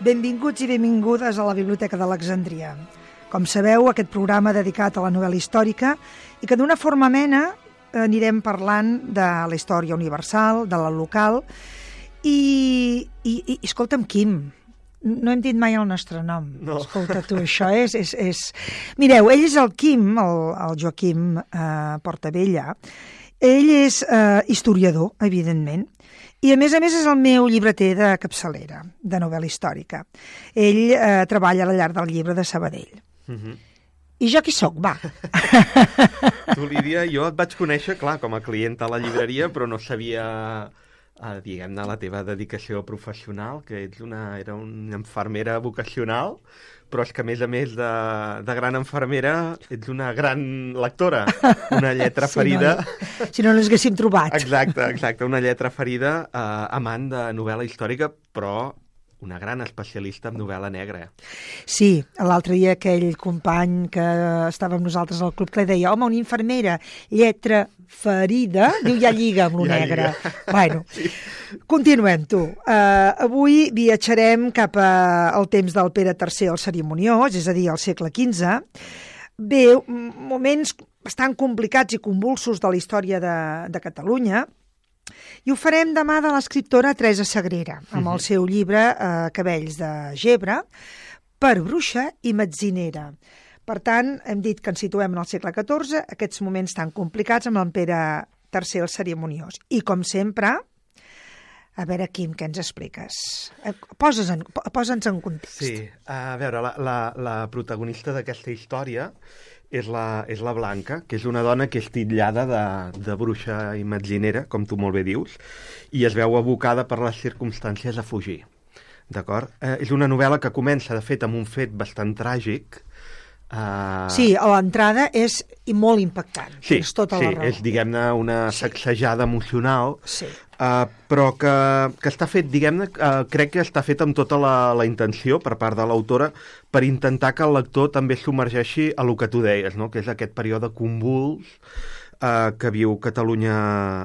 Benvinguts i benvingudes a la Biblioteca d'Alexandria. Com sabeu, aquest programa dedicat a la novel·la històrica i que d'una forma amena anirem parlant de la història universal, de la local i escolta'm, Quim, no hem dit mai el nostre nom. No. Escolta, tu, això és... Mireu, ell és el Quim, el Joaquim Portabella. Ell és historiador, evidentment, i a més és el meu llibreter de capçalera, de novel·la històrica. Ell treballa a la llar del llibre de Sabadell. I jo qui sóc, va? Tu, Lídia, jo et vaig conèixer, clar, com a client a la llibreria, però no sabia, diguem-ne, la teva dedicació professional, que era una infermera vocacional, però és que, a més de gran infermera, ets una gran lectora, una lletra ferida... Si no l'haguéssim trobat. Exacte, una lletra ferida, amant de novel·la històrica, però una gran especialista en novel·la negra. Sí, l'altre dia aquell company que estava amb nosaltres al club que li deia, home, una infermera, lletra ferida, diu, ja lliga amb lo negre. Bueno, sí. Continuem, tu. Avui viatjarem cap al temps del Pere III el Cerimoniós, és a dir, al segle XV. Bé, moments bastant complicats i convulsos de la història de Catalunya, i ho farem demà de l'escriptora Teresa Sagrera, amb el seu llibre Cabells de Gebre, per bruixa i metzinera. Per tant, hem dit que ens situem en el segle XIV, aquests moments tan complicats amb el Pere III el Cerimoniós. I, com sempre, a veure, Quim, què ens expliques? Posa'ns en context. Sí, a veure, la protagonista d'aquesta història és la Blanca, que és una dona que és titllada de bruixa i metzinera, com tu molt bé dius, i es veu abocada per les circumstàncies a fugir. D'acord? És una novel·la que comença, de fet, amb un fet bastant tràgic. Sí, a l'entrada és molt impactant. Sí, és tota la raó. És, diguem-ne, una sacsejada emocional, sí. Però que està fet, diguem-ne, crec que està fet amb tota la intenció per part de l'autora per intentar que el lector també submergeixi a lo que tu deies, no? Que és aquest període convuls que viu Catalunya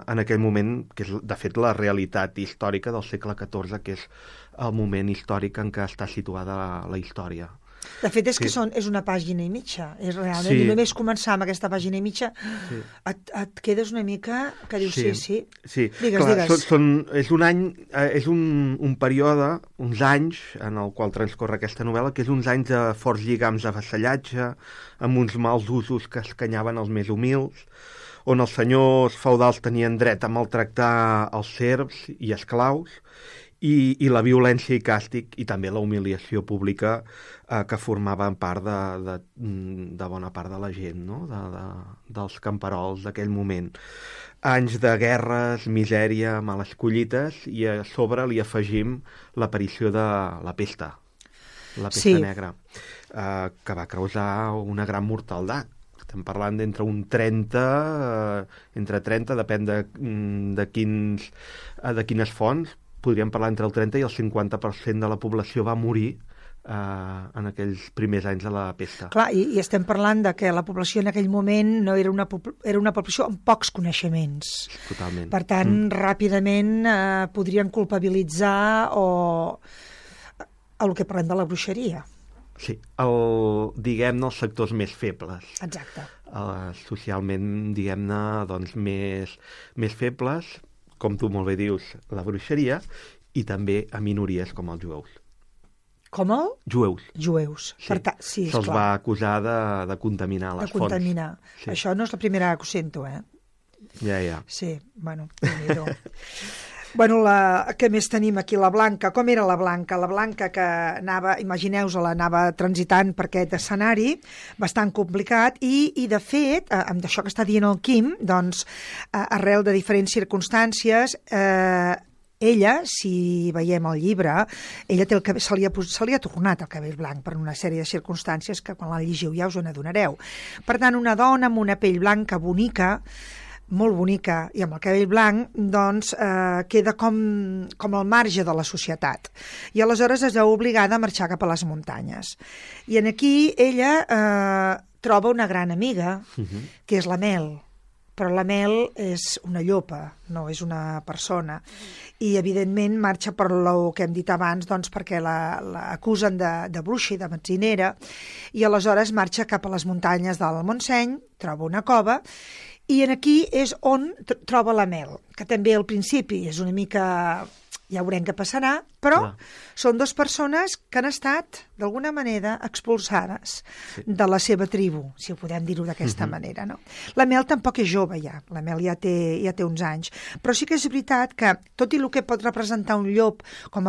en aquell moment, que és, de fet, la realitat històrica del segle XIV, que és el moment històric en què està situada la història. De fet, és que és una pàgina i mitja. És realment, i només començar amb aquesta pàgina i mitja et quedes una mica que dius sí. Digues. És un any, és un període, uns anys en el qual transcorre aquesta novel·la, que és uns anys de forts lligams de vassallatge, amb uns mals usos que escanyaven els més humils, on els senyors feudals tenien dret a maltractar els serfs i esclaus, i la violència i càstig i també la humiliació pública que formaven part de bona part de la gent, no? Dels camperols d'aquell moment. Anys de guerres, misèria, males collites, i a sobre li afegim l'aparició de la pesta negra, que va causar una gran mortaldat. Estem parlant d'entre un 30, depèn de quines fonts, podríem parlar entre el 30 i el 50% de la població va morir en aquells primers anys de la pesta. Clar, i estem parlant de que la població en aquell moment no era una població amb pocs coneixements. Totalment. Per tant, ràpidament podrien culpabilitzar el que parlem de la bruixeria. Sí, diguem-ne, els sectors més febles. Exacte. Socialment, diguem-ne, doncs, més febles, com tu molt bé dius, la bruixeria, i també a minories com els jueus. Com el? Jueus. Sí, se'ls va acusar de contaminar les fonts. De contaminar. Sí. Això no és la primera que ho sento, Ja. Sí, bueno, Bueno, què més tenim aquí? La Blanca. Com era la Blanca? La Blanca que anava, imagineu-vos-la, anava transitant per aquest escenari bastant complicat i de fet, amb això que està dient el Quim, doncs, arrel de diferents circumstàncies, ella, si veiem el llibre, ella té se li ha tornat el cabell blanc per una sèrie de circumstàncies que quan la llegiu ja us n'adonareu. Per tant, una dona amb una pell blanca bonica, molt bonica, i amb el cabell blanc, doncs queda com al marge de la societat. I aleshores es veu obligada a marxar cap a les muntanyes. I en aquí ella troba una gran amiga, que és la Mel. però la Mel és una llopa, no és una persona. I, evidentment, marxa per el que hem dit abans, doncs, perquè l'acusen de bruixa i de metzinera, i aleshores marxa cap a les muntanyes del Montseny, troba una cova, i aquí és on troba la Mel, que també al principi és una mica... ja veurem què passarà, però són dues persones que han estat, d'alguna manera, expulsades de la seva tribu, si ho podem dir-ho d'aquesta manera, no? La Mel tampoc és jove, ja. La Mel ja té uns anys. Però sí que és veritat que, tot i el que pot representar un llop com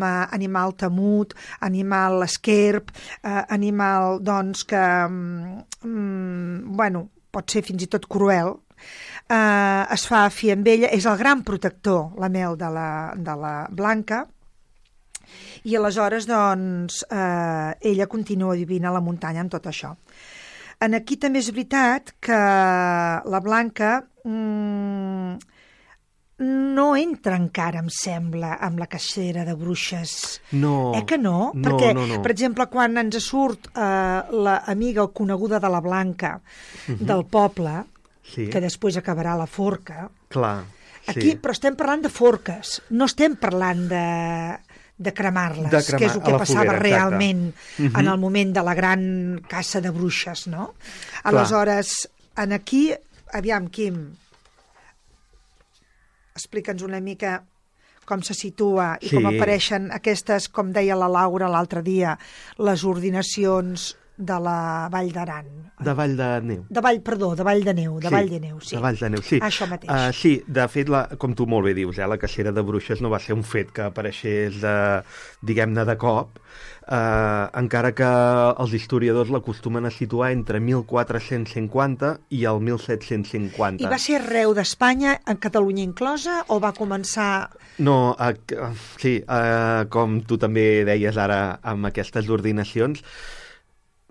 a animal temut, animal esquerp, animal, doncs, que, pot ser fins i tot cruel, es fa fi amb ella, és el gran protector, la Mel de la Blanca, i aleshores doncs ella continua vivint a la muntanya amb tot això. Aquí també és veritat que la Blanca no entra encara, em sembla, amb la cacera de bruixes. No. Que no? Perquè, per exemple, quan ens surt l'amiga o coneguda de la Blanca del poble, que després acabarà a la forca. Clar, aquí, però estem parlant de forques, no estem parlant de cremar-les, que és el que passava realment en el moment de la gran caça de bruixes, no? Aleshores, aquí, aviam, Quim, explica'ns una mica com se situa i com apareixen aquestes, com deia la Laura l'altre dia, les ordinacions de la Vall d'Aran. De Vall de Neu. De Vall de Neu, sí. De Vall de Neu, sí. Això mateix. Sí, de fet, com tu molt bé dius, la cacera de bruixes no va ser un fet que apareixés, diguem-ne, de cop, encara que els historiadors l'acostumen a situar entre 1450 i el 1750. I va ser arreu d'Espanya, en Catalunya inclosa, o va començar... No, sí, com tu també deies ara amb aquestes ordinacions,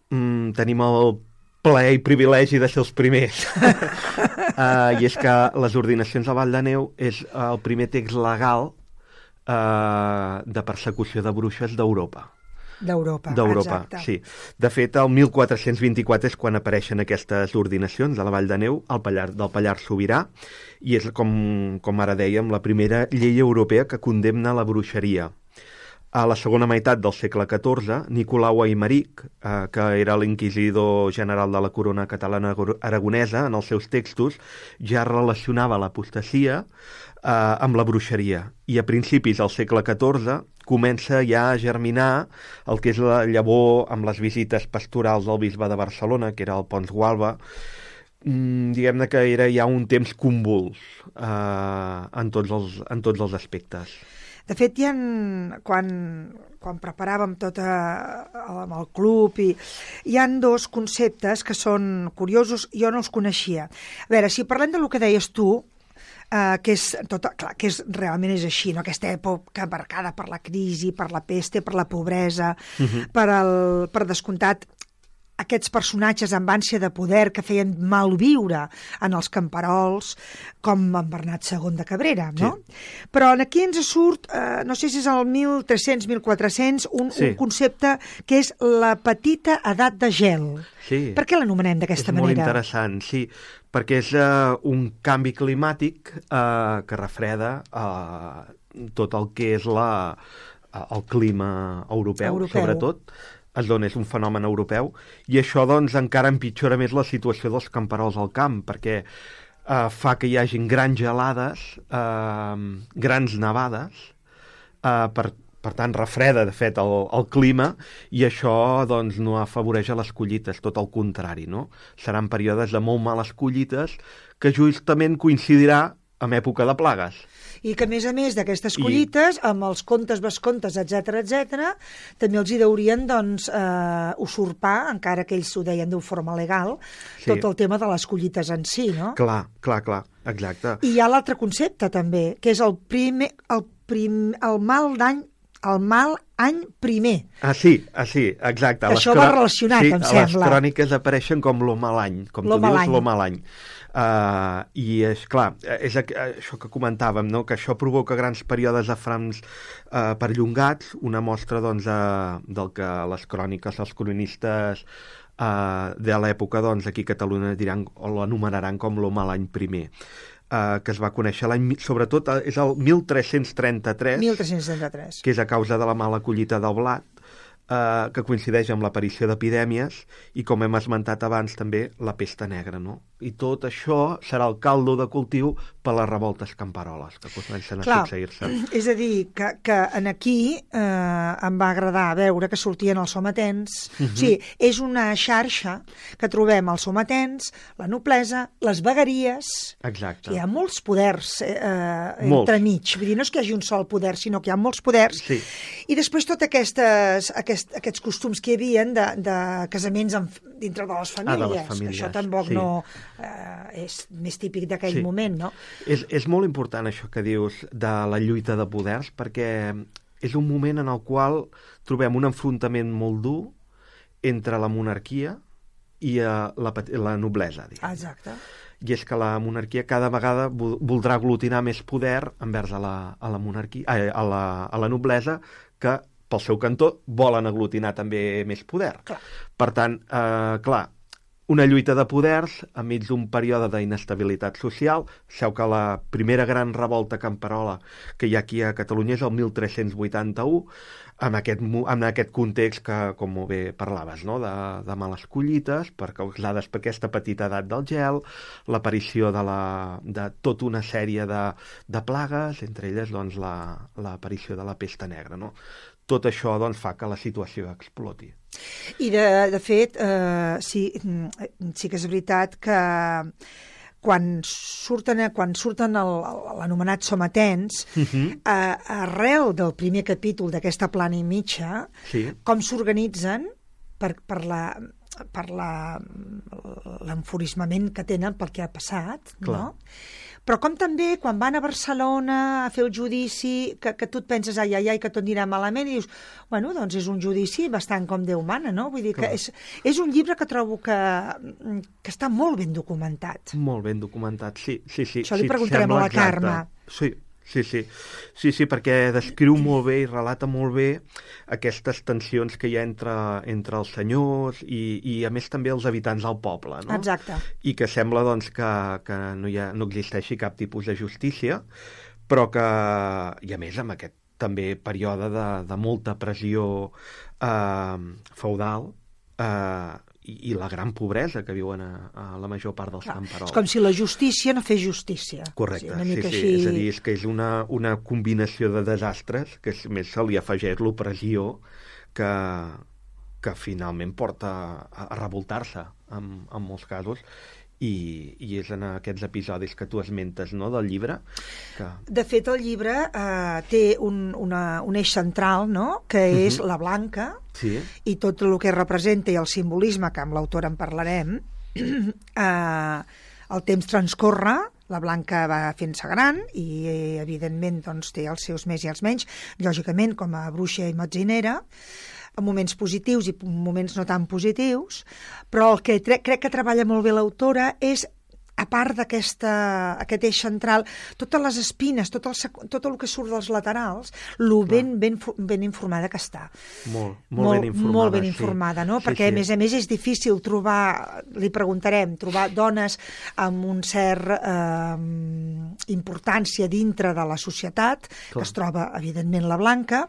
tenim el plaer i privilegi de ser els primers. I és que les ordinacions a Vall de Neu és el primer text legal de persecució de bruixes d'Europa. D'Europa, exacte. Sí. De fet, el 1424 és quan apareixen aquestes ordinacions de la Vall de Neu del Pallars Sobirà, i és, com ara dèiem, la primera llei europea que condemna la bruixeria. A la segona meitat del segle XIV, Nicolau Aimeric, que era l'inquisidor general de la corona catalana aragonesa, en els seus textos ja relacionava l'apostasia amb la bruixeria. I a principis del segle XIV comença ja a germinar el que és la llavor amb les visites pastorals del bisbe de Barcelona, que era el Pons Gualba. Diguem-ne que era ja un temps convuls en tots els aspectes. De fet, quan preparàvem tot amb el club, hi ha dos conceptes que són curiosos, jo no els coneixia. A veure, si parlem del que deies tu, que realment és així, no? Aquesta època marcada per la crisi, per la peste, per la pobresa, per descomptat, aquests personatges amb ànsia de poder que feien malviure en els camperols, com en Bernat II de Cabrera, no? Sí. Però aquí ens surt, no sé si és el 1300-1400, un concepte que és la petita edat de gel. Sí. Per què l'anomenem d'aquesta manera? És molt interessant, sí, perquè és un canvi climàtic que refreda tot el que és el clima europeu. Sobretot. És un fenomen europeu, i això doncs encara empitjora més la situació dels camperols al camp, perquè fa que hi hagin grans gelades, grans nevades, per tant refreda de fet el clima, i això doncs no afavoreix a les collites, tot el contrari, no? Seran períodes de molt males collites que justament coincidirà amb època de plagues. I que, a més d'aquestes collites, amb els contes, vescontes, etc, també els hi deurien, doncs, usurpar, encara que ells ho deien d'una forma legal, tot el tema de les collites en si, no? Clar, exacte. I hi ha l'altre concepte, també, que és el mal any primer. Sí, exacte. Això va relacionat, em sembla. Les cròniques apareixen com lo mal any, com tu dius, lo mal any. I és clar, és això que comentàvem, no? Que això provoca grans períodes de frams perllongats, una mostra doncs, del que les cròniques, els cronistes de l'època, doncs, aquí a Catalunya diran, o l'anomenaran com l'home l'any primer, que es va conèixer sobretot és el 1333, 1333, que és a causa de la mala collita del blat, que coincideix amb l'aparició d'epidèmies i, com hem esmentat abans, també la pesta negra, no? I tot això serà el caldo de cultiu per les revoltes camperoles que comencen a succeir-se. És a dir, que en aquí em va agradar veure que sortien els sometents. O sigui, és una xarxa que trobem els sometents, la noblesa, les vegueries. Exacte. Hi ha molts poders entremig. Vull dir, no és que hi hagi un sol poder, sinó que hi ha molts poders. Sí. I després tots aquests costums que hi havia de casaments dintre de les famílies. Que això tampoc no és més típic d'aquell moment, no? És molt important això que dius de la lluita de poders, perquè és un moment en el qual trobem un enfrontament molt dur entre la monarquia i la noblesa, diguem. Exacte. I és que la monarquia cada vegada voldrà aglutinar més poder envers a la monarquia, a la noblesa, que pel seu cantó volen aglutinar també més poder. Clar. Per tant, una lluita de poders enmig d'un període d'inestabilitat social. Sabeu que la primera gran revolta camperola que hi ha aquí a Catalunya és el 1381, en aquest context que, com molt bé parlaves, no? de males collites, causades per aquesta petita edat del gel, l'aparició de tota una sèrie de plagues, entre elles doncs, l'aparició de la pesta negra. No? Tot això doncs, fa que la situació exploti. I de fet, sí que és veritat que quan surten l'anomenat sometents, arrel del primer capítol d'aquesta plana i mitja, com s'organitzen per l'enfurismament que tenen pel que ha passat, no? Però com també quan van a Barcelona a fer el judici, que tu et penses ai, que tot anirà malament, i dius, bueno, doncs és un judici bastant com Déu mana, no? Vull dir que és un llibre que trobo que està molt ben documentat. Molt ben documentat, sí. Això li preguntarem a la Carme. Sí, perquè descriu molt bé i relata molt bé aquestes tensions que hi ha entre els senyors i a més també els habitants del poble, no? Exacte. I que sembla doncs, que no existeixi cap tipus de justícia, però que, i a més amb aquest també període de molta pressió feudal, i la gran pobresa que viuen a la major part dels camperols. És com si la justícia no fes justícia. Correcte, sí. És a dir, és que és una combinació de desastres que més se li afegeix l'opressió que finalment porta a revoltar-se en molts casos. I és en aquests episodis que tu esmentes, no?, del llibre. De fet, el llibre té un eix central, no?, que és la Blanca, i tot el que representa i el simbolisme, que amb l'autor en parlarem. El temps transcorre, la Blanca va fent-se gran i, evidentment, doncs, té els seus més i els menys, lògicament, com a bruixa i metzinera, en moments positius i moments no tan positius, però el que crec que treballa molt bé l'autora és, a part d'aquest eix central, totes les espines, tot el que surt dels laterals, ben informada que està. Molt ben informada, no? Perquè, a més, és difícil trobar, li preguntarem, trobar dones amb un cert importància dintre de la societat, que es troba, evidentment, la Blanca,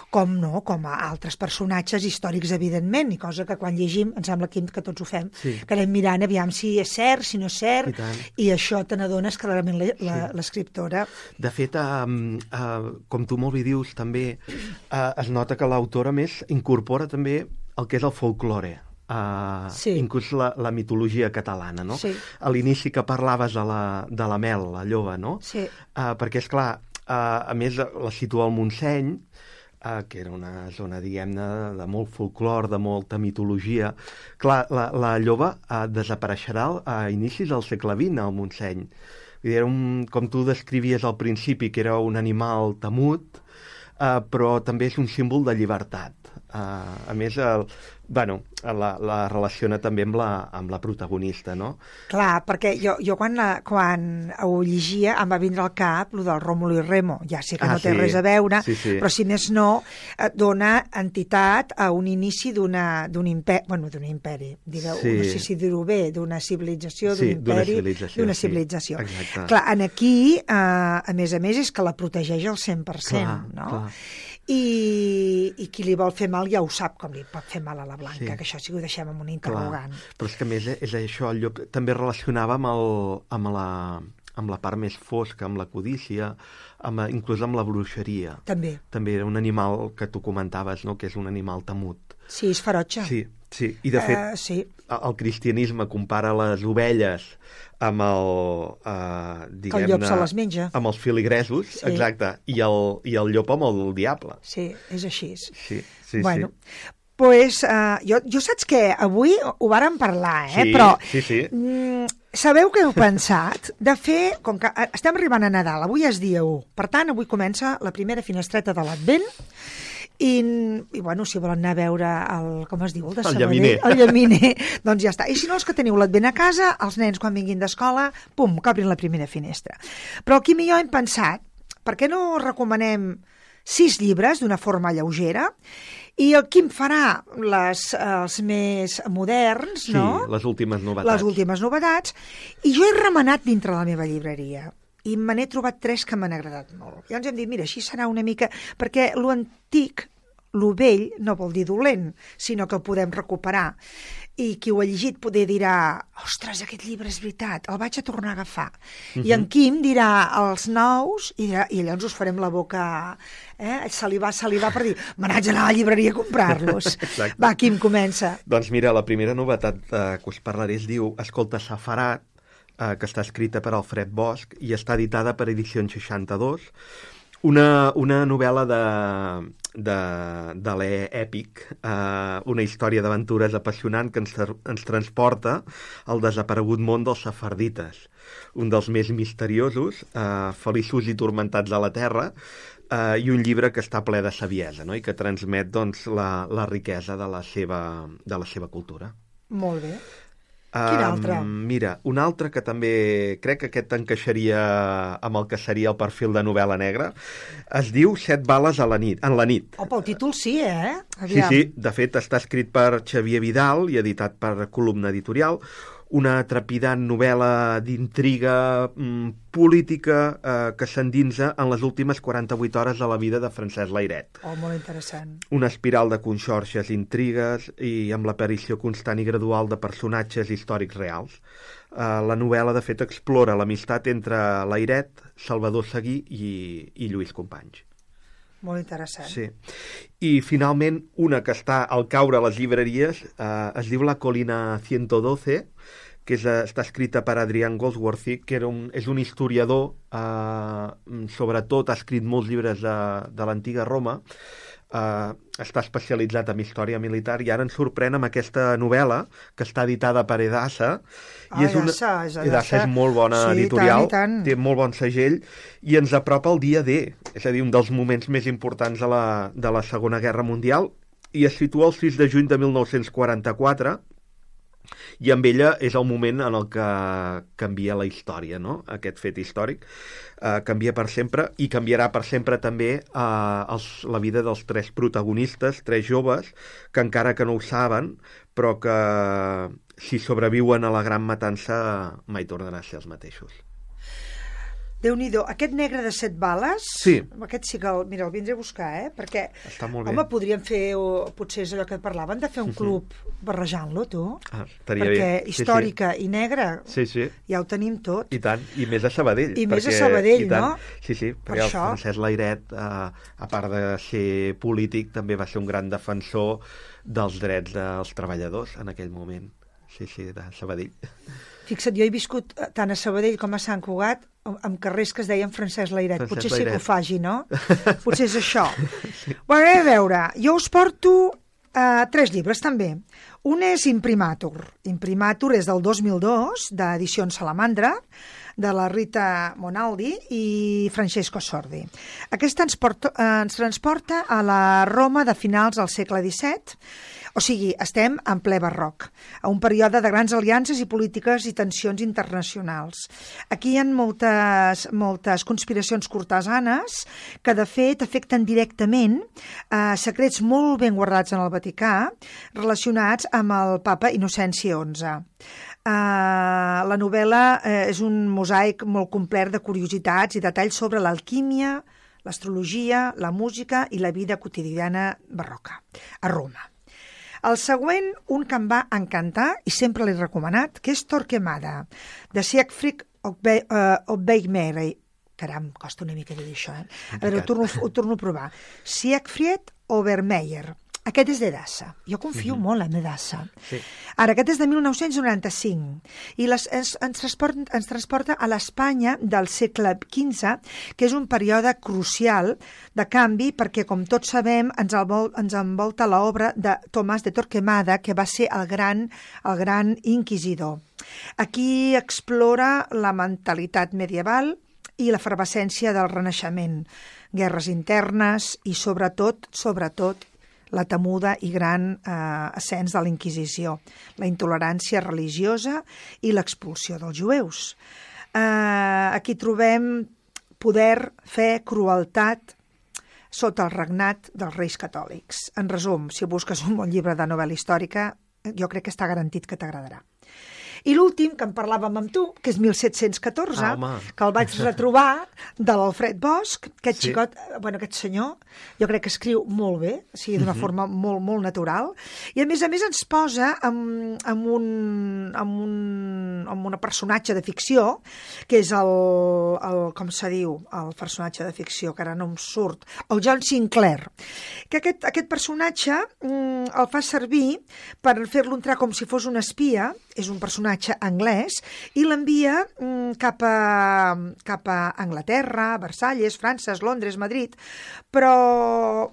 com a altres personatges històrics, evidentment, i cosa que quan llegim, em sembla que tots ho fem, que anem mirant aviam si és cert, si no és cert, i això te n'adones clarament l'escriptora. De fet, com tu molt bé dius, també es nota que l'autora més incorpora també el que és el folklore, inclús la mitologia catalana, no? A l'inici que parlaves de la Mel, la lloba, no? Perquè, esclar, a més la situa al Montseny, que era una zona, diguem-ne, de molt folclor, de molta mitologia. Clar, la lloba desapareixerà a inicis del segle XX al Montseny. Era com tu descrivies al principi, que era un animal temut, però també és un símbol de llibertat. A més, Bueno, la relaciona també amb la protagonista, no? Clar, perquè jo quan ho llegia em va vindre al cap el del Rómulo i Remo. Ja sé que no té res a veure, però si més no, dona entitat a un inici d'un imperi, digueu, no sé si dir-ho bé, d'una civilització, d'un imperi, d'una civilització. Exacte. Clar, aquí, a més, és que la protegeix al 100%, no? Clar. I qui li vol fer mal ja ho sap com li pot fer mal a la Blanca, que això sí que ho deixem amb un interrogant. Clar. Però és que a més és això, el llop també relacionava amb la part més fosca, amb la codícia, inclús amb la bruixeria. També era un animal que tu comentaves, no?, que és un animal temut. Sí, és ferotge. Sí. I de fet, el cristianisme compara les ovelles amb que el llop se les menja. Amb els filigresos, exacte, i el llop amb el diable. Sí, és així. Sí. Bueno, pues, jo saps que avui ho vàrem parlar, però sabeu què heu pensat? De fer, com que estem arribant a Nadal, avui és dia 1, per tant, avui comença la primera finestreta de l'Advent, i bueno, si volen anar a veure com es diu, el de Sabadell, el llaminer, doncs ja està. I si no, els que teniu l'Advent a casa, els nens quan vinguin d'escola, pum, que obrin la primera finestra. Però el Quim i jo hem pensat, per què no recomanem 6 llibres d'una forma lleugera, i el Quim farà els més moderns, no? Sí, les últimes novetats. I jo he remenat dintre la meva llibreria. I me n'he trobat 3 que m'han agradat molt. I ens hem dit, mira, així serà una mica... Perquè lo antic, lo vell, no vol dir dolent, sinó que el podem recuperar. I qui ho ha llegit poder dirà, ostres, aquest llibre és veritat, el vaig a tornar a agafar. I en Quim dirà els nous, i llavors us farem la boca... salivar per dir, me n'haig d'anar a la llibreria a comprar-los. Va, Quim, comença. Doncs mira, la primera novetat que us parlaré es diu Escolta Safarat, que està escrita per Alfred Bosch i està editada per Edicions 62. Una novel·la de l'èpic, una història d'aventures apassionant que ens transporta al desaparegut món dels safardites, un dels més misteriosos, feliços i turmentats de la Terra, i un llibre que està ple de saviesa, no?, i que transmet doncs, la riquesa de la seva cultura. Molt bé. Quin altre? Mira, un altre que també crec que aquest encaixaria amb el que seria el perfil de novel·la negra, es diu 7 bales en la nit. Pel títol sí, Aviam. Sí, de fet està escrit per Xavier Vidal i editat per Columna Editorial, una trepidant novel·la d'intriga política que s'endinsa en les últimes 48 hores de la vida de Francesc Layret. Molt interessant. Una espiral de conxorxes, intrigues i amb l'aparició constant i gradual de personatges històrics reals. La novel·la, de fet, explora l'amistat entre Layret, Salvador Seguí i Lluís Companys. Molt interessant. Sí. I, finalment, una que està al caure a les llibreries es diu La Colina 112, que està escrita per Adrián Goldsworthy, que és un historiador, sobretot ha escrit molts llibres de l'antiga Roma, està especialitzat en història militar i ara ens sorprèn amb aquesta novel·la que està editada per Edassa. Edassa és molt bona editorial, té molt bon segell i ens apropa al dia D, és a dir, un dels moments més importants de la Segona Guerra Mundial, i es situa el 6 de juny de 1944, i amb ella és el moment en el que canvia la història, no?, aquest fet històric. Canvia per sempre i canviarà per sempre també la vida dels 3 protagonistes, 3 joves, que encara que no ho saben, però que si sobreviuen a la gran matança mai tornaran a ser els mateixos. Déu-n'hi-do, aquest negre de 7 bales, sí. Aquest sí que el vindré a buscar, perquè, home, podríem fer, potser és allò que parlaven, de fer un club barrejant-lo, tu, perquè històrica i negra, ja ho tenim tot. I tant, i més a Sabadell. Més a Sabadell, no? Sí, perquè el Francesc Layret, a part de ser polític, també va ser un gran defensor dels drets dels treballadors en aquell moment. Sí, de Sabadell. Fixa't, jo he viscut tant a Sabadell com a Sant Cugat amb carrers que es deien Francesc Layret. Potser sí que ho faci, no? Potser és això. Sí. Bueno, a veure, jo us porto 3 llibres també. Un és Imprimatur. Imprimatur és del 2002, d'Edicions Salamandra, de la Rita Monaldi i Francesco Sordi. Aquest ens transporta a la Roma de finals del segle XVII, o sigui, estem en ple barroc, a un període de grans aliances i polítiques i tensions internacionals. Aquí hi ha moltes conspiracions cortesanes que, de fet, afecten directament secrets molt ben guardats en el Vaticà relacionats amb el papa Innocenci XI. La novel·la és un mosaic molt complet de curiositats i detalls sobre l'alquímia, l'astrologia, la música i la vida quotidiana barroca a Roma. El següent, un que em va encantar i sempre l'he recomanat, que és Torquemada, de Siegfried Obermeier. Caram, costa una mica dir això, A veure, ho torno a provar. Siegfried Obermeier. Aquest és d'Edassa. Jo confio molt en Edassa. Sí. Ara, aquest és de 1995 i ens transporta a l'Espanya del segle XV, que és un període crucial de canvi perquè, com tots sabem, ens envolta l'obra de Tomàs de Torquemada, que va ser el gran inquisidor. Aquí explora la mentalitat medieval i l'efervescència del Renaixement, guerres internes i, sobretot, la temuda i gran ascens de la Inquisició, la intolerància religiosa i l'expulsió dels jueus. Aquí trobem poder, fe, crueltat sota el regnat dels reis catòlics. En resum, si busques un bon llibre de novel·la històrica, jo crec que està garantit que t'agradarà. I l'últim, que en parlàvem amb tu, que és 1714, que el vaig retrobar, de l'Alfred Bosch, aquest xicot, aquest senyor, jo crec que escriu molt bé, o sigui, d'una forma molt, molt natural, i a més ens posa amb un personatge de ficció, que és com se diu, el personatge de ficció, que ara no em surt, el John Sinclair, que aquest personatge el fa servir per fer-lo entrar com si fos un espia, és un personatge anglès, i l'envia cap a Anglaterra, Versalles, França, Londres, Madrid, però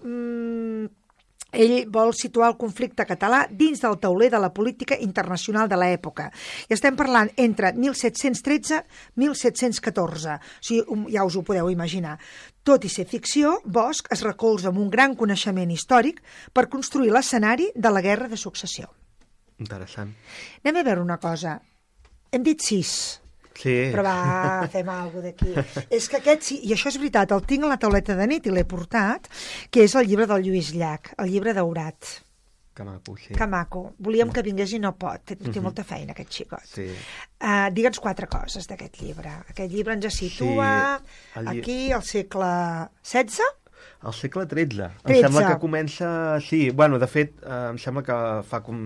ell vol situar el conflicte català dins del tauler de la política internacional de l'època. I estem parlant entre 1713 i 1714. O sigui, ja us ho podeu imaginar. Tot i ser ficció, Bosch es recolza amb un gran coneixement històric per construir l'escenari de la Guerra de Successió. Interessant. Anem a veure una cosa. Hem dit 6. Sí. Però fem alguna cosa d'aquí. És que aquest sí, i això és veritat, el tinc a la tauleta de nit i l'he portat, que és el llibre del Lluís Llach, el llibre daurat. Que maco, sí. Que maco. Volíem que vingués i no pot. Té molta feina, aquest xicot. Sí. Digue'ns 4 coses d'aquest llibre. Aquest llibre ens situa aquí, al segle XVI? Al segle XIII. Em sembla que comença... Sí, bueno, de fet, em sembla que fa com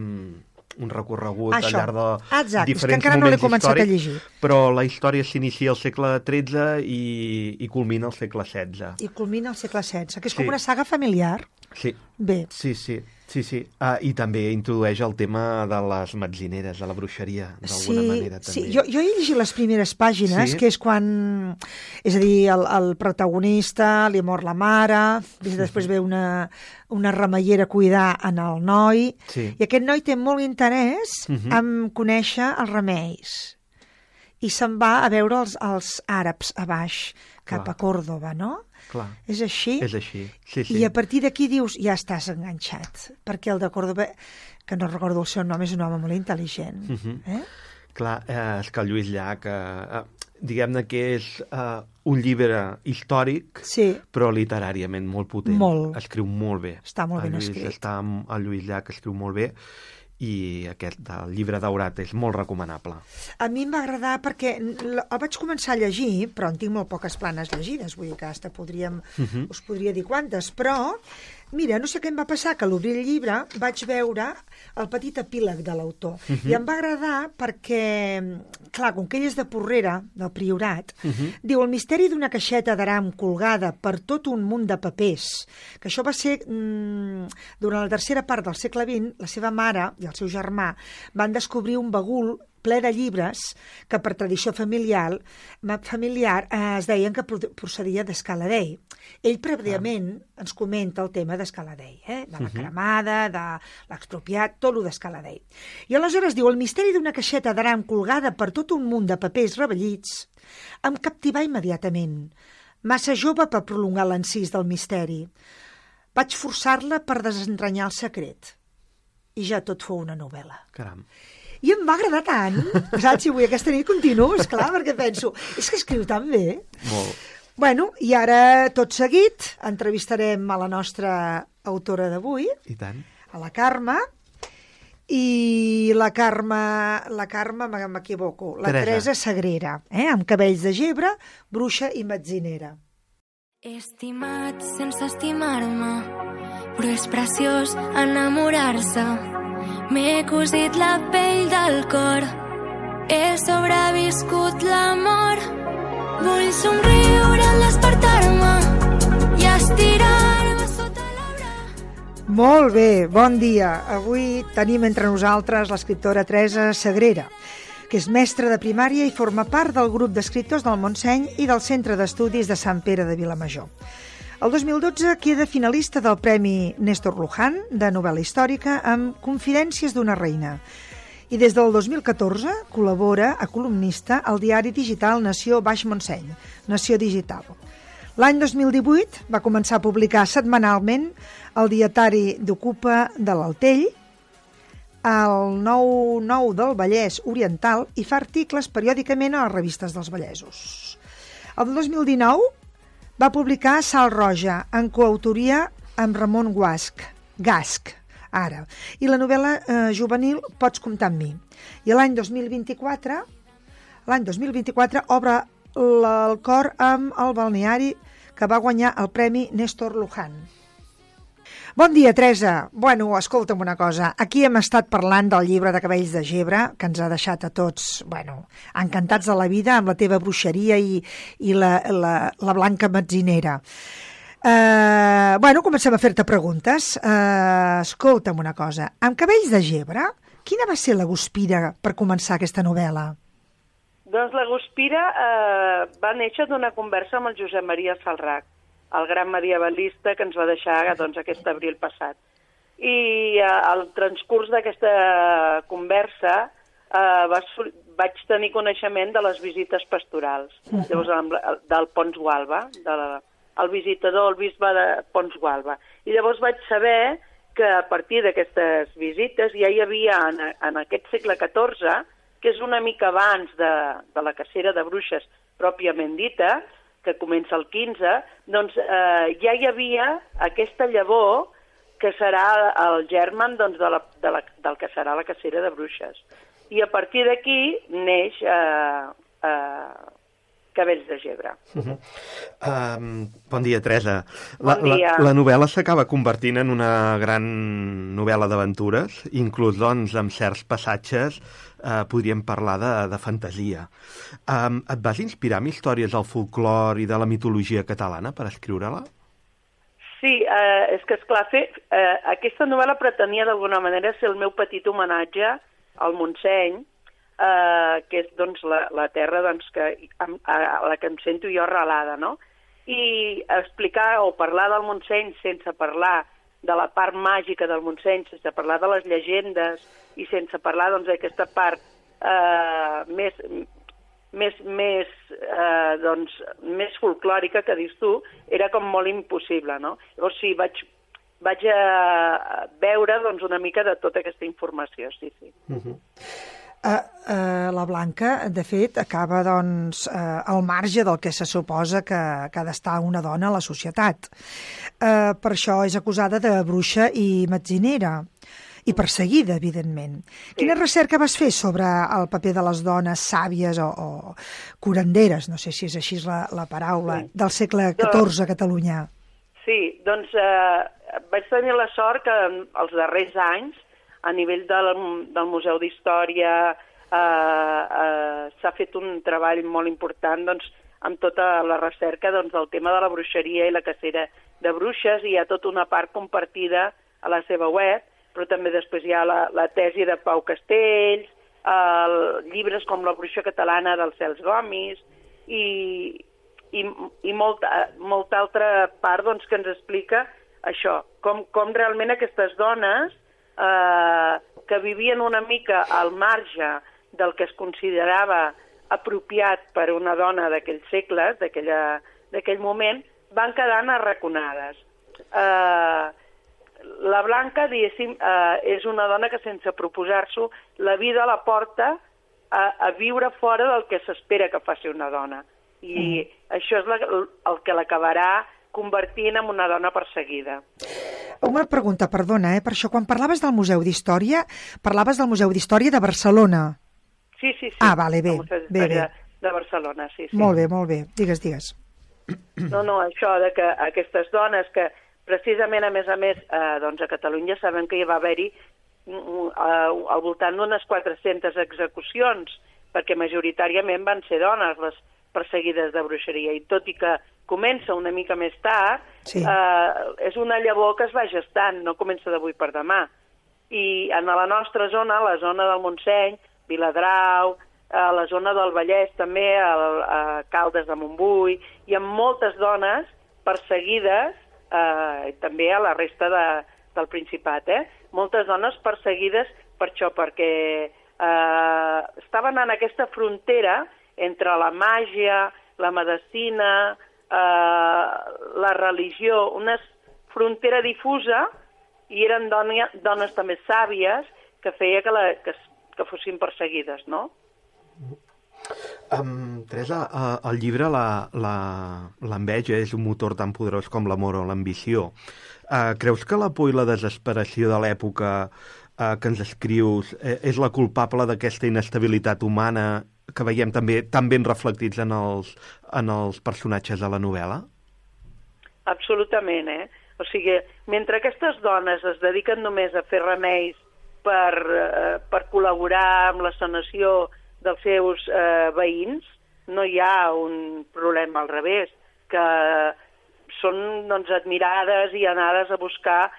un recorregut al llarg de diferents moments històrics, però la història s'inicia al segle XIII i culmina al segle XVI. I culmina al segle XVI, que és com una saga familiar. Sí. Bé. Sí. I també introdueix el tema de les metzineres, de la bruixeria, d'alguna manera. També. Sí, jo he llegit les primeres pàgines, que és quan... És a dir, el protagonista li mor la mare, després ve una remeiera a cuidar en el noi, i aquest noi té molt interès en conèixer els remeis. I se'n va a veure els àrabs a baix, cap a Còrdova, no? Clar. És així? És així, sí. I a partir d'aquí dius, ja estàs enganxat, perquè el de Còrdova, que no recordo el seu nom, és un home molt intel·ligent. Clar, és que el Lluís Llach, diguem-ne que és un llibre històric, però literàriament molt potent. Molt. Escriu molt bé. Està molt ben escrit. El Lluís Llach escriu molt bé, i aquest del llibre daurat és molt recomanable. A mi em va agradar perquè el vaig començar a llegir, però en tinc molt poques planes llegides, vull dir que us podria dir quantes, però mira, no sé què em va passar, que a l'obrir el llibre vaig veure el petit epíleg de l'autor, i em va agradar perquè, clar, com que ell és de Porrera, del Priorat, diu, el misteri d'una caixeta d'aram colgada per tot un munt de papers, que això va ser durant la tercera part del segle XX, la seva mare i el seu germà van descobrir un bagul ple de llibres que per tradició familiar es deien que procedia d'Escaladei. Ell prèviament ens comenta el tema d'Escaladei, de la cremada, de l'expropiat, tot el d'Escaladei. I aleshores diu, el misteri d'una caixeta d'aram colgada per tot un munt de papers rebellits Em captivà immediatament. Massa jove per prolongar l'encís del misteri. Vaig forçar-la per desentranyar el secret. I ja tot fou una novel·la. Caram. I em va agradar tant, saps? Si avui aquesta nit continuo, esclar, perquè penso, és que escriu tan bé. Molt. Bueno, i ara, tot seguit, entrevistarem a la nostra autora d'avui, I tant. a la Carme, i la Carme, m'equivoco, la Teresa Sagrera, amb cabells de gebre, bruixa i metzinera. He estimat sense estimar-me, però és preciós enamorar-se. M'he cosit la pell del cor, he sobreviscut l'amor. Vull somriure al despertar-me i estirar-me sota l'arbre. Molt bé, bon dia. Avui tenim entre nosaltres l'escriptora Teresa Sagrera, que és mestra de primària i forma part del grup d'escriptors del Montseny i del Centre d'Estudis de Sant Pere de Vilamajor. El 2012 queda finalista del Premi Néstor Luján de novel·la històrica amb Confidències d'una reina. I des del 2014 col·labora a columnista al diari digital Nació Baix Montseny, Nació Digital. L'any 2018 va començar a publicar setmanalment el dietari d'Ocupa de l'Altell, el 9-9 del Vallès Oriental i fa articles periòdicament a les revistes dels vallesos. El 2019 va publicar Sal Roja, en coautoria amb Ramon Gasc, ara. I la novel·la juvenil Pots comptar amb mi. I l'any 2024 obre el cor amb el balneari que va guanyar el Premi Néstor Luján. Bon dia, Teresa. Bueno, escolta'm una cosa. Aquí hem estat parlant del llibre de Cabells de Gebre, que ens ha deixat a tots, encantats de la vida amb la teva bruixeria i la blanca metzinera. Comencem a fer-te preguntes. Escolta'm una cosa. Amb Cabells de Gebre, quina va ser la guspira per començar aquesta novel·la? Doncs la guspira va néixer d'una conversa amb el Josep Maria Salrach, el gran medievalista que ens va deixar aquest abril passat. I al transcurs d'aquesta conversa vaig tenir coneixement de les visites pastorals, llavors del Pons Gualba, el visitador, el bisbe de Pons Gualba. I llavors vaig saber que a partir d'aquestes visites ja hi havia en aquest segle XIV, que és una mica abans de la cacera de bruixes pròpiament dita, que comença el 15, doncs ja hi havia aquesta llavor que serà el germen del que serà la cacera de bruixes. I a partir d'aquí neix Cabells de Gebre. Bon dia, Teresa. Bon dia. La novel·la s'acaba convertint en una gran novel·la d'aventures, inclús amb certs passatges podríem parlar de fantasia. Et vas inspirar en històries del folclore i de la mitologia catalana per escriure-la? Sí, és que, esclar, aquesta novel·la pretenia d'alguna manera ser el meu petit homenatge al Montseny, que és la terra a la que em sento jo arrelada, no? I explicar o parlar del Montseny sense parlar de la part màgica del Montseny, sense parlar de les llegendes i sense parlar d'aquesta part més folclòrica que dius tu, era com molt impossible, no? Llavors sí, vaig veure una mica de tota aquesta informació, sí. La Blanca, de fet, acaba al marge del que se suposa que ha d'estar una dona a la societat. Per això és acusada de bruixa i metzinera i perseguida, evidentment. Sí. Quina recerca vas fer sobre el paper de les dones sàvies o curanderes, no sé si és així la paraula, del segle XIV a Catalunya? Sí, doncs vaig tenir la sort que els darrers anys, a nivell del Museu d'Història, s'ha fet un treball molt important amb tota la recerca del tema de la bruixeria i la cacera de bruixes, i hi ha tota una part compartida a la seva web, però també després hi ha la tesi de Pau Castells, llibres com La bruixa catalana del Cels Gomis, i molta altra part que ens explica això, com realment aquestes dones que vivien una mica al marge del que es considerava apropiat per una dona d'aquells segles, d'aquell moment, van quedant arraconades. La Blanca, diguéssim, és una dona que sense proposar-s'ho, la vida la porta a viure fora del que s'espera que faci una dona. I això és el que l'acabarà convertint en una dona perseguida. Una pregunta, perdona, per això, quan parlaves del Museu d'Història, parlaves del Museu d'Història de Barcelona. Sí. Ah, vale, bé. El Museu d'Història de Barcelona, sí. Molt bé. Digues. No, això de que aquestes dones que precisament, a més, doncs a Catalunya sabem que hi va haver-hi al voltant d'unes 400 execucions, perquè majoritàriament van ser dones les perseguides de bruixeria, i tot i que comença una mica més tard, és una llavor que es va gestant, no comença d'avui per demà. I en la nostra zona, la zona del Montseny, Viladrau, la zona del Vallès també, a Caldes de Montbui, hi ha moltes dones perseguides, també a la resta del Principat, moltes dones perseguides per això, perquè estaven en aquesta frontera entre la màgia, la medicina, la religió, una frontera difusa, i eren dones també sàvies que feia que fossin perseguides, no? Teresa, el llibre l'enveja és un motor tan poderós com l'amor o l'ambició. Creus que la por i la desesperació de l'època que ens escrius és la culpable d'aquesta inestabilitat humana que veiem també tan ben reflectits en els personatges de la novel·la? Absolutament, O sigui, mentre aquestes dones es dediquen només a fer remeis per col·laborar amb la sanació dels seus veïns, no hi ha un problema al revés, que són admirades i anades a buscar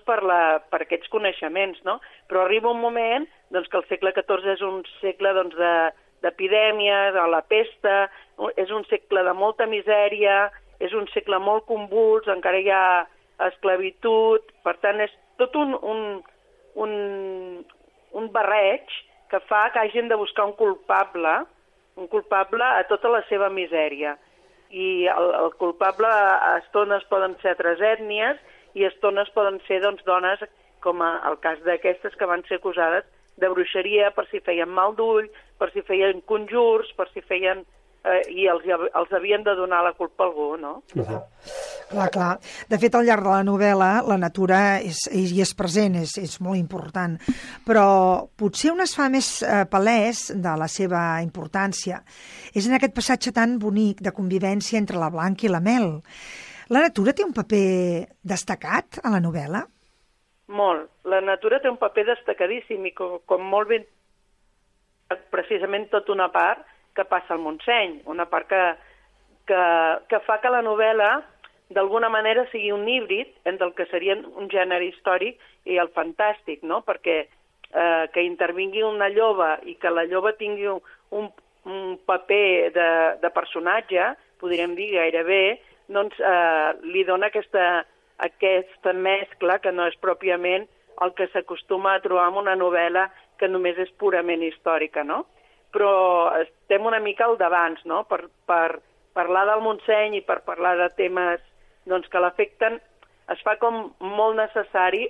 per aquests coneixements, no? Però arriba un moment que el segle XIV és un segle d'epidèmies, de la pesta, és un segle de molta misèria, és un segle molt convuls, encara hi ha esclavitud, per tant és tot un barreig que fa que hagin de buscar un culpable a tota la seva misèria. I el culpable a estones poden ser altres ètnies i a estones poden ser dones, com el cas d'aquestes que van ser acusades de bruixeria per si feien mal d'ull, per si feien conjurs, per si feien... i els havien de donar la culpa a algú, no? Clar. De fet, al llarg de la novel·la, la natura hi és present, és molt important, però potser on es fa més palès de la seva importància és en aquest passatge tan bonic de convivència entre la Blanca i la Mel. La natura té un paper destacat a la novel·la? Molt. La natura té un paper destacadíssim i com molt ben... precisament tota una part que passa al Montseny, una part que fa que la novel·la d'alguna manera sigui un híbrid entre el que seria un gènere històric i el fantàstic, no? Perquè que intervingui una lloba i que la lloba tingui un paper de personatge, podríem dir gairebé, li dona aquesta mescla que no és pròpiament el que s'acostuma a trobar en una novel·la que només és purament històrica, no? Però estem una mica al davant, no? Per parlar del Montseny i per parlar de temes que l'afecten, es fa com molt necessari,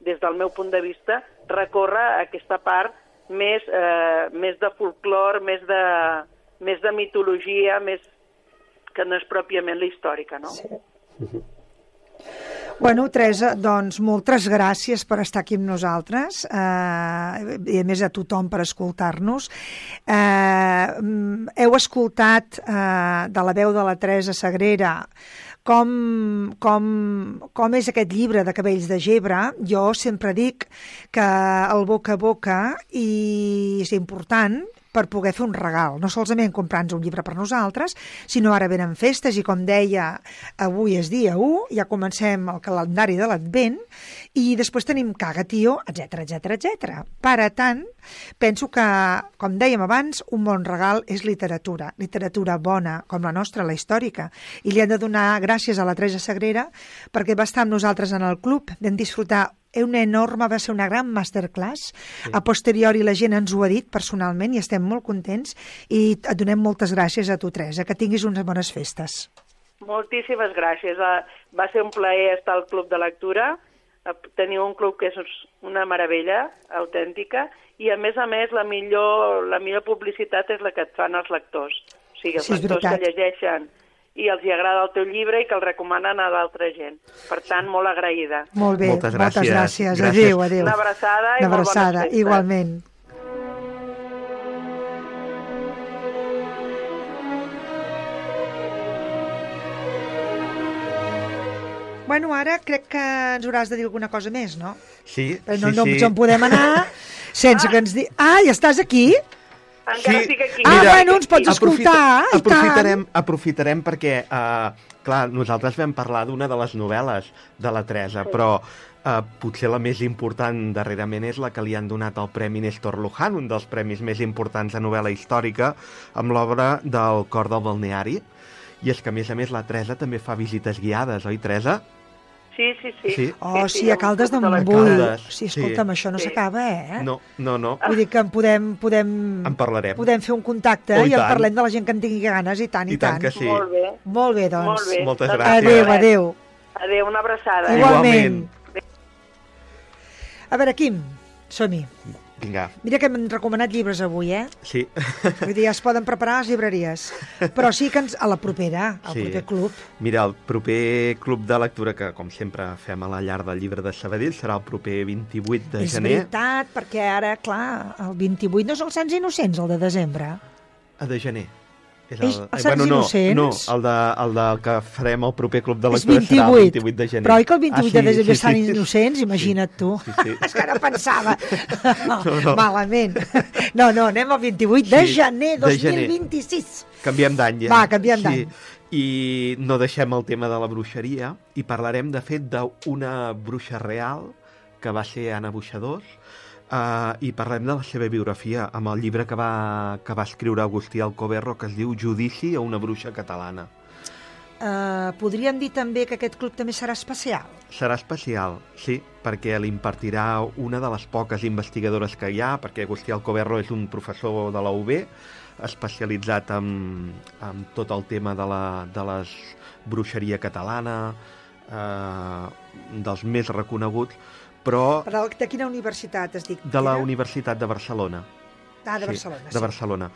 des del meu punt de vista, recórrer a aquesta part més de folclor, més de mitologia, més que no és pròpiament la històrica, no? Sí. Bueno, Teresa, doncs moltes gràcies per estar aquí amb nosaltres i a més a tothom per escoltar-nos. Heu escoltat de la veu de la Teresa Sagrera com és aquest llibre de Cabells de Gebre. Jo sempre dic que el boca a boca és important per poder fer un regal, no solament comprar-nos un llibre per nosaltres, sinó ara venen festes i, com deia, avui és dia 1, ja comencem el calendari de l'Advent i després tenim Caga Tio, etc. Per tant, penso que, com dèiem abans, un bon regal és literatura bona, com la nostra, la històrica, i li hem de donar gràcies a la Teresa Sagrera perquè va estar amb nosaltres en el club, vam disfrutar va ser una gran masterclass. A posteriori la gent ens ho ha dit personalment i estem molt contents i et donem moltes gràcies a tu, Teresa. Que tinguis unes bones festes. Moltíssimes gràcies. Va ser un plaer estar al Club de Lectura. Teniu un club que és una meravella autèntica i, a més, la millor publicitat és la que et fan els lectors. O sigui, els lectors que llegeixen i els hi agrada el teu llibre i que el recomanen a d'altra gent. Per tant, molt agraïda. Molt bé, moltes gràcies. Adéu. Una abraçada i molt bones festes. Igualment. Bueno, ara crec que ens hauràs de dir alguna cosa més, no? Sí, però no ens en podem anar sense que ens digui... Ah, ja estàs aquí? Encara estic aquí. Bueno, ens pots escoltar. Aprofitarem perquè, clar, nosaltres vam parlar d'una de les novel·les de la Teresa, però potser la més important darrerament és la que li han donat el Premi Néstor Luján, un dels premis més importants de novel·la històrica, amb l'obra del Cor del Balneari. I és que, a més, la Teresa també fa visites guiades, oi, Teresa? Sí. Sí, a Caldes de Montbui. Sí, escolta'm, això no s'acaba, eh? No. Vull dir que en En parlarem. Podem fer un contacte i en parlem de la gent que en tingui ganes, i tant. I tant que sí. Molt bé, doncs. Moltes gràcies. Adéu. Adéu, una abraçada. Igualment. A veure, Quim, som-hi. Vinga. Mira que hem recomanat llibres avui, eh? Sí. Vull dir, ja es poden preparar a les llibreries. Però sí que a la propera, al proper club. Mira, el proper club de lectura, que com sempre fem a la llar del llibre de Sabadell, serà el proper 28 de gener. És veritat, perquè ara, clar, el 28 no és els Sants Innocents, el de desembre. De gener. Els Sants Innocents? No, el que farem al proper club de lectura serà el 28 de gener. Però oi que el 28 de desembre estan Innocents? Imagina't tu. Sí. És que ara pensava. Malament. No, anem al 28 de gener 2026. Canviem d'any, ja. Va, canviem d'any. I no deixem el tema de la bruixeria i parlarem, de fet, d'una bruixa real que va ser Anna Boixadors, i parlem de la seva biografia amb el llibre que va escriure Agustí Alcoberro, que es diu Judici a una bruixa catalana. Podríem dir també que aquest club també serà especial? Serà especial, sí, perquè l'impartirà una de les poques investigadores que hi ha, perquè Agustí Alcoberro és un professor de la UB, especialitzat en tot el tema de la bruixeria catalana, dels més reconeguts, però... De quina universitat has dit? De la Universitat de Barcelona. De Barcelona, sí. De Barcelona.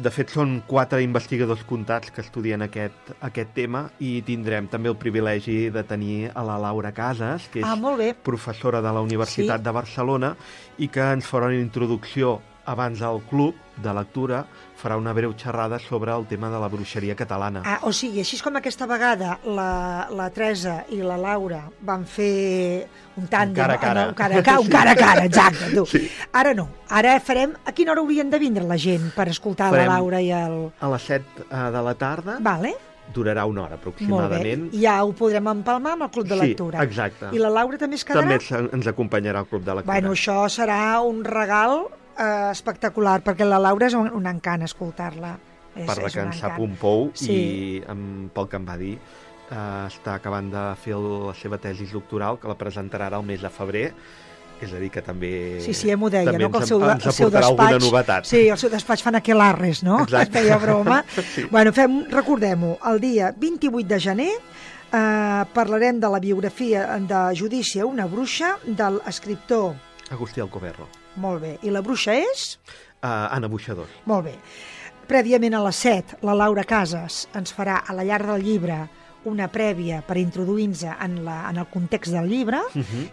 De fet, són 4 investigadors comptats que estudien aquest tema i tindrem també el privilegi de tenir a la Laura Casas, que és professora de la Universitat de Barcelona i que ens farà una introducció abans al club de lectura, farà una breu xerrada sobre el tema de la bruixeria catalana. O sigui, així com aquesta vegada la Teresa i la Laura van fer un tàndem... Un cara a cara, exacte. Tu. Sí. Ara no. Ara farem... A quina hora haurien de vindre la gent per escoltar la Laura i el... A les 7 de la tarda. Vale. Durarà una hora, aproximadament. Molt bé. Ja ho podrem empalmar amb el Club de Lectura. Sí, exacte. I la Laura també es quedarà? També ens acompanyarà al Club de Lectura. Bueno, això serà un regal espectacular, perquè la Laura és un encant escoltar-la. Parla que en sap un pou i pel que em va dir està acabant de fer la seva tesi doctoral, que la presentarà ara el mes de febrer, és a dir, que també m'ho deia, no? Que ens aportarà alguna novetat. Sí, el seu despatx fan aquelarres, no? Exacte. Feia broma. Sí. Bueno, recordem-ho, el dia 28 de gener parlarem de la biografia de Judici a una bruixa de l'escriptor Agustí Alcoberro. Molt bé. I la bruixa és? Anna Boixadors. Molt bé. Prèviament a les 7, la Laura Casas ens farà a la llar del llibre una prèvia per introduir-nos en el context del llibre,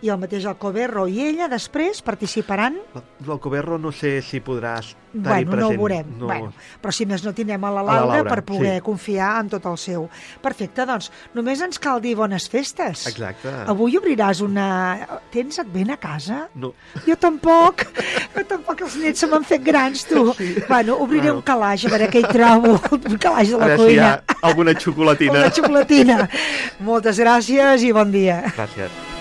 i el mateix Alcoberro i ella després participaran... L'Alcoberro no sé si podrà estar-hi present. No ho veurem. Bueno, però si més no tindrem a la Laura per poder confiar en tot el seu. Perfecte, doncs només ens cal dir bones festes. Exacte. Avui obriràs una... Tens advent a casa? No. Jo tampoc. Els nets se m'han fet grans, tu. Sí. Bueno, obriré un calaix, a veure què hi trobo. Un calaix de la cuina. A veure si hi ha alguna xocolatina. Moltes gràcies i bon dia. Gràcies.